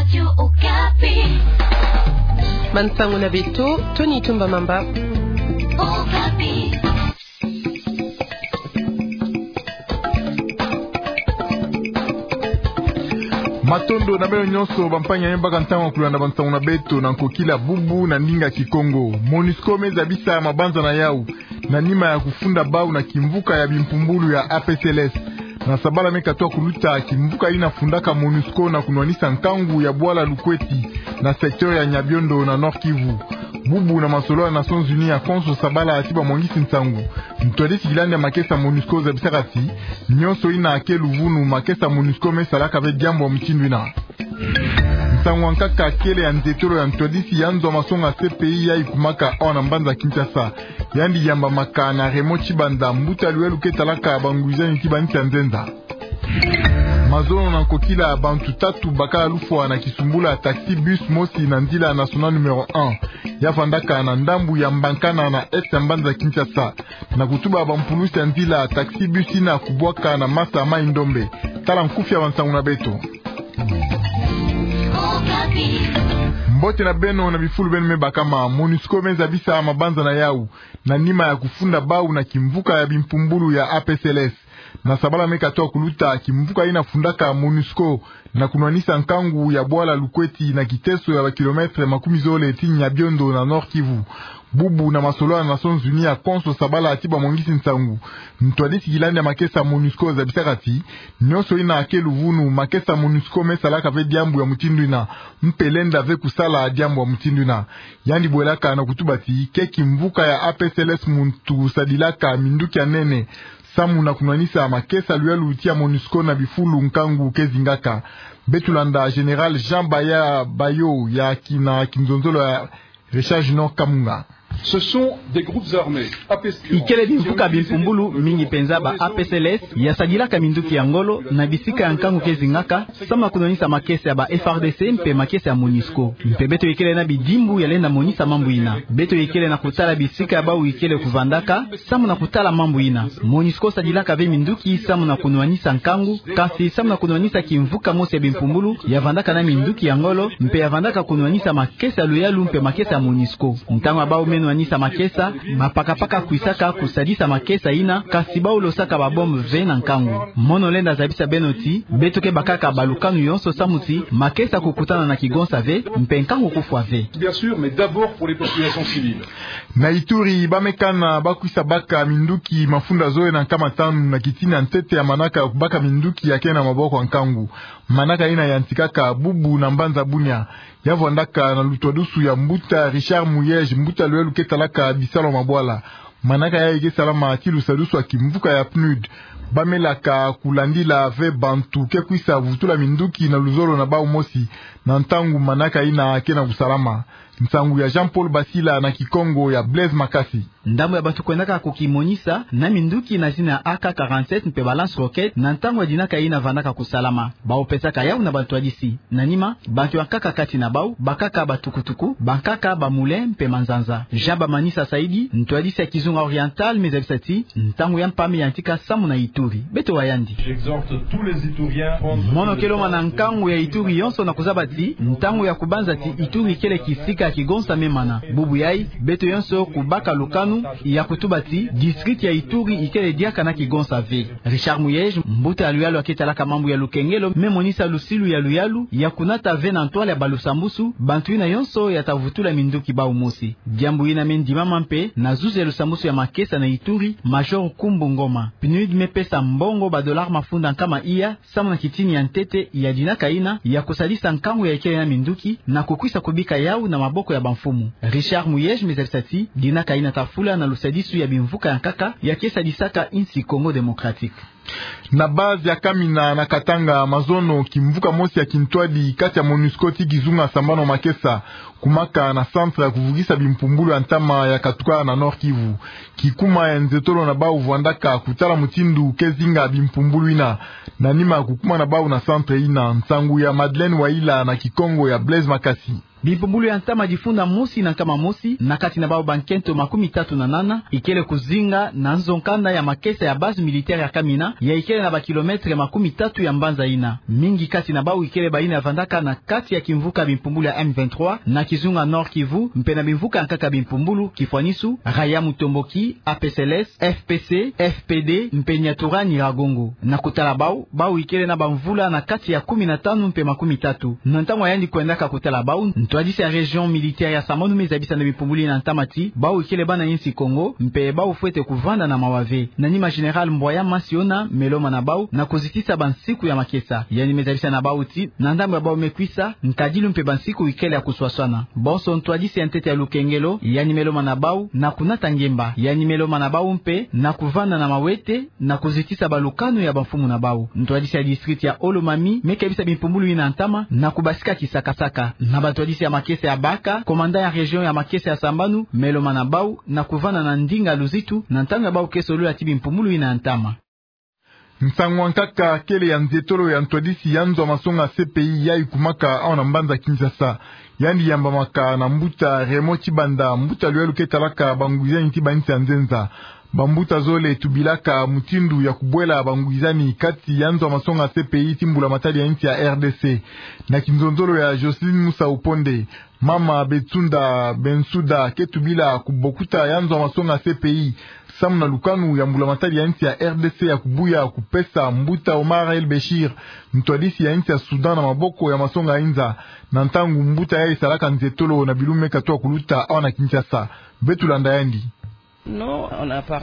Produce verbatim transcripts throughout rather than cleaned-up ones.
Radio Okapi. Bansango na beto, Tony Tumba Mamba. Okapi. Matondo na beno nyonso, bampangi ya beno baka ntangu ya kulanda bansango na beto na nkokila bubu na ndinga Kikongo. Monusco me zabisa mabanza na yau na nima ya kufunda bau na kimvuka ya bimpumbulu ya A P C L S. Na sabala me katoa kuluta, kimvuka ina fundaka Monusco na kunwanisa nkangu ya bwala Lukweti na secteur ya Nyabiondo na Nord-Kivu. Bubu na masolo ya Nations Unies ya konso sabala ti bamwangisi nsangu. Ntwadisi kilandi ya makesa Monusco zabisaka ti, nyonso ina ke luvunu, makesa Monusco me salaka ve diambu ya mutindu ina. Nsangu ya nkaka kele ya ntetolo ya ntwadisi ya nzo ya masonga C P I ya ikumaka awa na mbanza Kinshasa. Yandi yambamaka na Raymond Tshibanda, mbuta lwelu ke talaka bangwizani ti bansi ya nzenza. Mazono na nkokila, bantu tatu bakala lufwa na kisumbula taxi bus mosi na nzila nationale numéro un ya vandaka na ndambu ya Mbankana na est ya mbanza Kinshasa. Na kutuba bampulusi ya nzila, taxi bus ina kubwaka na masa Mai-Ndombe. Tala nkufi ya bansango na beto. Mbote na beno na bifulu beno me bakama. Monusco me zabisa mabanza na yau na nima ya kufunda bau na kimvuka ya bimpumbulu ya A P C L S. Na sabala me katoa kuluta, kimvuka ina fundaka Monusco na kunwanisa nkangu ya bwala Lukweti na kiteso ya bakilometre makumi zole ti Nyabiondo na Nord-Kivu. Bubu na masolo ya Nations Unies ya konso sabala ti bamwangisi nsangu. Ntwadisi kilandi ya makesa Monusco zabisaka ti, nyonso ina ke luvunu, makesa Monusco me salaka ve diambu ya mutindu ina, mpe lenda ve kusala diambu ya mutindu ina. Yandi bwelaka na kutuba ti, ke kimvuka ya A P C L S muntu sadilaka minduki ya nene samu na kunwanisa makesa luyalu ti ya Monusco na bifulu nkangu ke zingaka. Beto landa Général Jean Baya Bayo ya kina kinzonzolo ya Richard Junior Kamunga. Ce sont des groupes armés, A P C L S, ikele bimvuka bimpumbulu mingi penza ba A P C L S ya sadilaka minduki ya ngolo na bisika ya nkangu ke zingaka, samu na kunwanisa makesa ya ba F A R D C mpe makesa ya Monusco. Mpe beto ikele na bidimbu ya lenda monisa mambu ina. Beto ikele na kutala bisika ya bau ikele kuvandaka samu na kutala mambu ina. Monusco sadilaka ve minduki samu na kunwanisa nkangu, kasi samu na kunwanisa kimvuka mosi ya bimpumbulu ya vandaka na minduki ya ngolo, mpe ya vandaka kunwanisa makesa luyalu mpe makesa ya Monusco. Ntangu ya bau me nwanisa makesa, bapakapaka kwisaka kusadisa makesa ina, kasi bau losaka ba bombe ve na nkangu. Mono lenda zabisa beno ti, beto ke bakaka balukanu yonso samu ti makesa kukutana na kigonsa ve, mpe nkangu kufwa ve. Bien sûr, mais d'abord pour les populations civiles. Na Ituri, ba me kana bakwisa baka minduki mafunda zole na nkama tanu na kitini ya ntete ya manaka ya kubaka minduki ya ke na maboko ya nkangu. Manaka ina yantikaka bubu na mbanza Bunia. Ya vwandaka na lutwadusu ya mbuta Richard Muyej, mbuta luyalu ke talaka bisalu ya mabwala. Manaka yayi ke salama ti lusadusu ya kimvuka ya PNUD. Ba melaka kulandila ve bantu ke kwisa vutula minduki na luzolo na bau mosi, na ntangu manaka ina ke na kusalama. Nsangu ya Jean-Paul Basila na Kikongo ya Blaise Makasi. Ndambu ya bantu kwendaka kukimonisa na minduki na zina ya A K quarante-sept mpe ba lance-roquettes na ntangu ya dinaka ina vandaka kusalama. Bau pesaka yau na bantwadisi. Na nima, bantu ya nkaka kati na bau bakaka batukutuku, bankaka ba moulin mpe manzanza. Jean Bamanisa Saidi, ntwadisi ya Kizunga Oriental, me zabisa ti ntangu ya mpame yantika samu na Ituri. Beto wa yandi. J'exhorte tous les Ituriens à prendre... Mono ke lomana nkangu ya Ituri yonso na kuzaba ti ntangu ya kubanza ti Ituri kele kisika ya kigonsa me mana. Bubu yayi, beto yonso kubaka lukanu ya kutuba ti district ya Ituri ikele diaka na kigonsa ve. Richard Muyej, mbuta ya luyalu ya ke talaka mambu ya lukengelo, me monisa lusilu ya luyalu ya kunata ve na ntwala ya balusambusu bantu ina yonso ya ta vutula minduki bau mosi. Diambu ina me ndimama mpe na zuzi ya lusambusu ya makesa na Ituri, Major Kumbu Ngoma. PNUD me pesa mbongo ba dollars mafunda nkama iya, samu na kitini ya ntete ya dinaka ina ya kusadisa nkangu ya ikele na minduki na kukwisa kubika yau na maboko ya bamfumu. Richard Muyej me zabisa ti dinaka ina ta fula na lusadisu ya bimvuka ya nkaka ya ke sadisaka insi Congo Démocratique. Na base ya Kamina na Katanga, mazono, kimvuka mosi ya kintwadi kati ya MONUSCO ti Kizunga Sambano Makesa kumaka na centre ya kuvukisa bimpumbulu ya ntama ya katuka na Nord-Kivu. Kikuma ya nzetolo na bau vwandaka kutala mutindu ke zinga bimpumbulu ina, na nima ya kukuma na bau na centre ina. Nsangu ya Madeleine Waila na Kikongo ya Blaise Makasi. Bimpumbulu ya ntama difunda mosi na nkama mosi, na kati na bau bankento makumi tatu na nana ikele kuzinga na nzo nkanda ya makesa ya base militaire ya Kamina, ya ikele na bakilometre makumi tatu ya mbanza yina. Mingi kati na bau ikele bayina vandaka na kati ya kimvuka bimpumbulu ya M vingt-trois, na kizunga Nord-Kivu, mpe na bimvuka ya nkaka bimpumbulu, Kifwanisu, Raya Mutomboki, A P C L S, F P C, F P D, mpe Nyatura Nyiragongo. Na kutala bau, bau ikele na bamvula na kati ya kumi na tanu mpe makumi tatu. Na ntangu ya yandi kwendaka kutala bau, ntwadisi ya région militaire ya Sambanu me zabisa na bimpumbulu yina ntama ti bau ikele bana insi Kongo, mpe bau fwete kuvanda na mawa ve. Na nima Général Mbwaya Masiona me lomana bau na kuzitisa bansiku ya makesa. Yandi me zabisa na bau ti na ndambu ya bau me kwisa, nkadilu mpe bansiku ikele ya kuswaswana. Bonso ntwadisi ya ntete ya lukengelo, yandi me lomana bau na kunata ngemba. Yandi me lomana bau mpe na kuvanda na mawete, na kuzitisa balukanu ya bamfumu na bau. Ntwadisi ya district ya Haut-Lomami me kebisa bimpumbulu yina ntama na kubasika kisakasaka. Na bantwadisi ya makesa ya baka, commandant ya région ya makesa ya Sambanu me lomana bau na kuvanda na ndinga luzitu na ntangu ya bau ke solola ti bimpumbulu yina ntama. Nsangu ya nkaka kele ya nzietolo ya ntwadisi ya nzo ya masonga C P I yayi kumaka awa na mbanza Kinshasa. Yandi yambamaka na mbuta Raymond Tshibanda, mbuta luyalu ke talaka bangwizani ti bainsi ya nzenza. Bambuta zole tubilaka mutindu ya kubwela bangwizani kati ya nzo ya masonga C P I ti mbula matadi ya insi ya R D C. Na kinzonzolo ya Jocelyne Musau Ponde, mama Betsunda Bensuda ke tubila kubokuta ya nzo ya masonga C P I samu na lukanu ya mbula matadi ya insi ya R D C ya kubuya kupesa mbuta Omar El Béchir, ntwadisi ya insi ya Soudan, na maboko ya masonga inza, na ntangu mbuta yayi salaka nzietolo na bilumbu me katuka kuluta awa na Kinshasa. Beto landa yandi.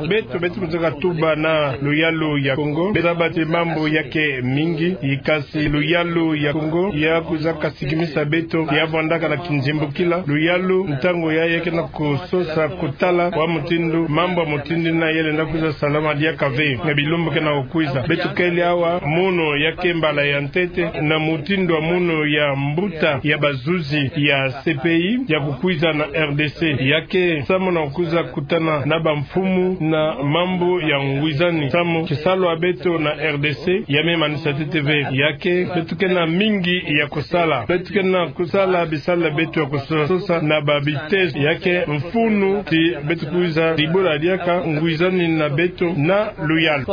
Beto, beto kwizaka tuba na luyalu ya Kongo. Beto zaba ti mambu ya ke mingi, kasi luyalu ya Kongo ya kwizaka sikimisa beto, ya vandaka na kinzimbukila. Luyalu, ntangu yayi ke na kusosa kutala wa mutindu mambu ya mutindu yina ya lenda kwiza salama diaka ve na bilumbu ke na kukwiza. Beto kele awa munu ya ke mbala ya ntete na mutindu wa munu ya mbuta ya bazuzi ya C P I ya kukwiza na R D C. Ya ke samu na kukwiza kutana na bamfumu na mambu ya ngwizani, samu kisalu ya beto na R D C ya me manisa ntete ve. Ya ke beto ke na mingi ya kusala. Beto ke na kusala bisalu ya beto ya kusosa na babitezo. Ya ke mfunu ti beto kwiza dibula diaka ngwizani na beto na luyalu.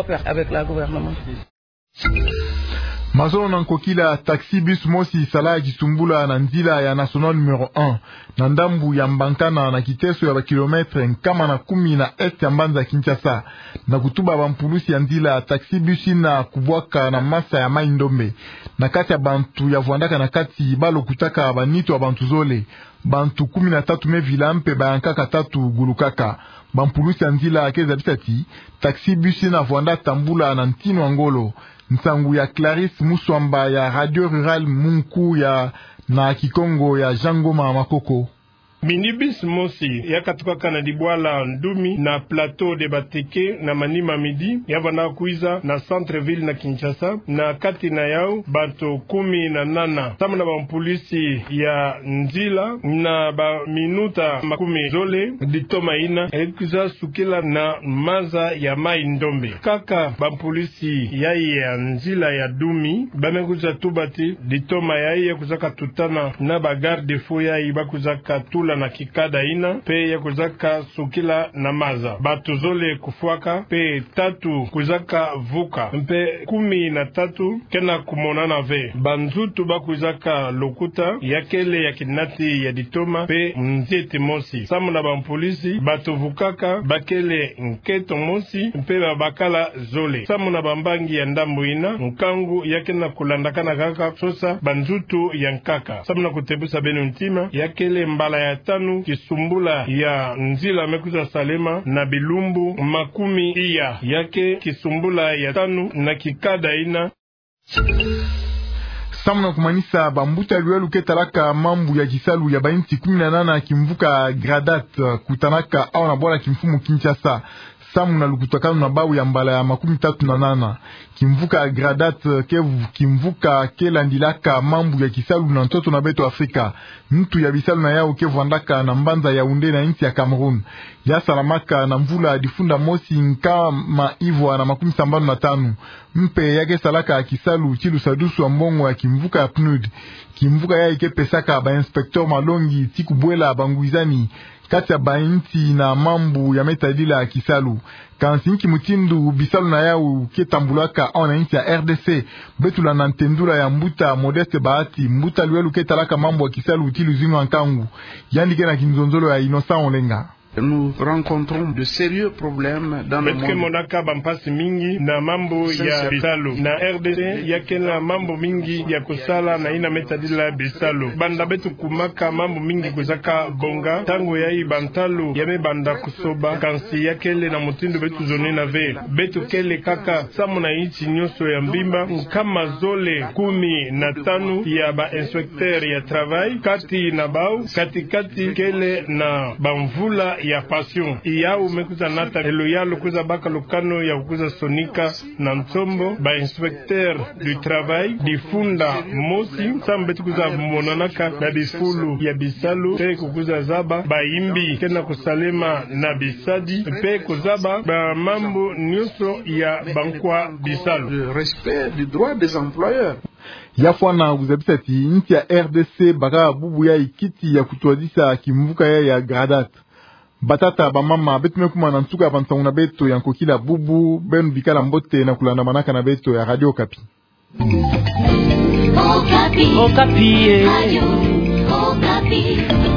Mazono na nkokila, taxi-bus mosi sala kisumbula na nzila ya nationale numéro un, na ndambu ya Mbankana, na kiteso ya bakilometre nkama na kumi na est ya mbanza Kinshasa. Na kutuba bampulusi ya nzila, taxi-bus yina kubwaka na masa ya Mai-Ndombe, na kati ya bantu ya vwandaka na kati, ba lokutaka banitu ya bantu zole. Bantu kumi na tatu me vila mpe bayankaka tatu gulukaka. Bampulusi ya nzila ke zabisa ti taxi-bus yina vwanda tambula na ntinu ya ngolo. Nsangu ya Clarisse Muswamba ya Radio Rurale mu nku ya na Kikongo ya Jean Ngoma Makoko. Minibus mosi ya katukaka na dibwala Ndumi na Plateau de Bateke na manima midi, ya vanda kwiza na centre-ville na Kinshasa, na kati na yau bato kumi na nana. Samu na bampulusi ya nzila, na baminuta makumi zole, ditoma yina ekwiza sukila na maza ya Mai-Ndombe. Kaka bampulusi ya, ya nzila ya Ndumi ba me kwiza tuba ti ditoma yayi ya kwizaka tutana na ba garde-fou yayi ba kwizaka tula na kikada yina, mpe ya kwizaka sukila na maza. Bato zole kufwaka, mpe tatu kwizaka vuka, mpe kumi na tatu ke na kumonana ve. Banzutu ba kwizaka lokuta ya kele ya kinati ya ditoma mpe nzieti mosi. Samu na bampulusi, bato vukaka ba kele nkento mosi mpe babakala zole. Samu na bambangi ya ndambu yina, nkangu ya ke na kulandakana kaka sosa banzutu ya nkaka. Samu na kutebusa beno ntima, ya kele mbala ya tanu kisumbula ya nzila me kwiza salema na bilumbu makumi iya. Ya ke kisumbula ya tanu na kikada yina. Samu na kumanisa, bambuta luyalu ke talaka mambu ya kisalu ya bainsi kumi na nana kimvuka Gradat kutanaka awa na bwala kimfumu Kinshasa. samu na lukutakanu na bau ya mbala ya makumi tatu na nana. Kimvuka ya GRADAT ke kimvuka ke landilaka mambu ya kisalu na ntoto na beto Afrika. Ntu ya bisalu na yau ke vwandaka na mbanza Yaoundé na insi ya Cameroun. Ya salamaka na mvula difunda mosi nkama ivwa na makumi sambanu na tanu. Mpe ya ke salaka kisalu ti lusadusu wa mbongo ya kimvuka ya PNUD. Kimvuka yayi ke pesaka ba inspecteur malongi ti kubwela bangwizani kati ya bainsi na mambu ya me tadila kisalu. Kansi nki mutindu bisalu na yau ke tambulaka awa na insi ya R D C? Beto landa ntendula ya mbuta Modeste Bahati, mbuta luyelu ke talaka mambu ya kisalu ti luzingu ya nkangu. Yandi ke na kinzonzolo ya Innocent Olenga. Nous rencontrons de sérieux problèmes dans le monde. Beto ke monaka bampasi mingi na mambu ya bisalu. Na R D C, ya kele na mambu mingi ya kusala na yina me tadila bisalu. Banda beto kumaka, mambu mingi kwizaka bonga. Ntangu yayi bantalu ya me banda kusoba, kansi ya kele na mutindu beto zonina ve. Beto kele kaka samu na insi nyonso ya mvimba nkama zole kumi na tanu ya ba inspecteur ya travail, kati na bau, kati-kati kele na bamvula ya pension. Yau me kwiza nata e luyalu, kwiza baka lukanu ya kwiza sonika na nsombo ba inspecteur du travail difunda mosi, samu beto kwiza monanaka na bifulu ya bisalu, mpe kukwiza zaba bayimbi ke na kusalema na bisadi, mpe kuzaba bamambu nyonso ya bankwa bisalu. Le respect du droit des employeurs. Ya fwana kuzabisa ti insi ya R D C baka bubu yayi kiti ya kutwadisa kimvuka yayi ya GRADAT. Batata, bamama, beto me kuma na nsuka ya bansangu na beto ya nkokila bubu. Beno bikala mbote na kulandamanaka na beto ya Radio Okapi. Okapi. Okapi, eh. Radio Okapi.